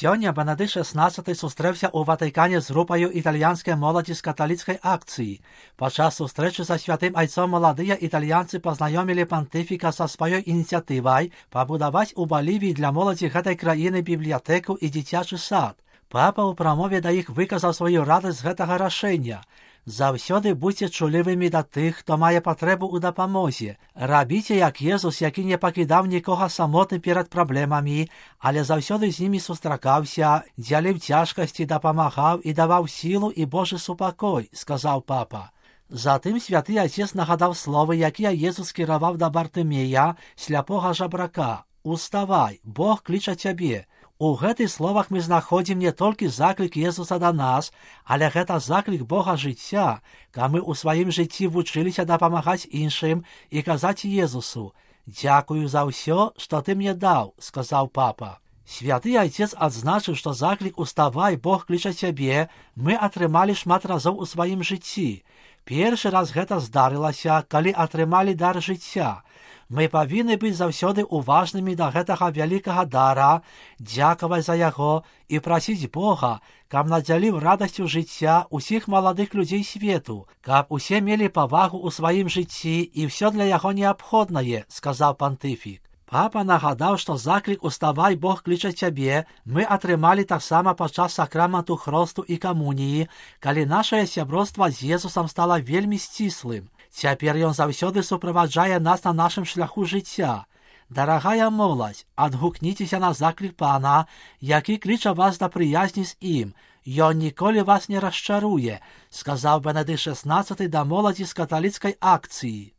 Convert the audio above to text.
Сьогодні Бенедикт XVI зустрівся у Ватикані з групою італійської молоді з католицької акції. Під час зустрічі за Святим Отцом молоді італійці познайомили понтифіка зі своєю ініціативою побудувати у Болівії для молоді цієї країни бібліотеку і дитячий сад. Папа у промові до їх виказав свою радість з цього рішення. Завсёды будьте чуливими до тих, хто має потребу у допомозі. Робіть, як Єсус, який не покидав нікого самотним перед проблемами, але завсёды з ними зустрічався, ділив тяжкості, допомагав і давав силу і Божий супокой, сказав папа. Затим Святий Отець нагадав слово, яке Єсус керував до Бартимея, сляпого жабрака. «Уставай, Бог кличе тебе». У гэтых словах мы знаходзім не толькі заклік Єсуса да нас, але гэта заклік Бога жыцця, каб мы ў сваім жыцці вучыліся дапамагаць іншым і казаць Єсусу: «Дзякую за ўсё, што ты мне даў», сказаў папа. Святы Отец адзначыў, што заклік «Уставай, Бог кліча цябе» мы атрымалі шмат разоў у сваім жыцці. Першы раз гэта здарылася, калі атрымалі дар жыцця. Мы павінны быць заўсёды уважнымі да гэтага вялікага дара, дзякаваць за яго і прасіць Бога, каб надзяліў радасцю жыцця ўсіх маладых людзей свету, каб усе мелі павагу ў сваім жыцці і ўсё для яго неабходнае, сказаў пантыфік. Папа нагадаў, што заклік «Уставай, Бог кліча цябе» мы атрымалі таксама падчас сакраменту хросту і камуніі, калі нашае сяброўства з Езусам стала вельмі сціслым. Цяпер ён заўсёды суправаджае нас на нашым шляху жыцця. Дарагая моладзь, адгукніцеся на заклік Пана, які кліча вас да прыязні з ім. Ён ніколі вас не расчаруе, сказаў Бенедикт XVI да моладзі з каталіцкай акцыі.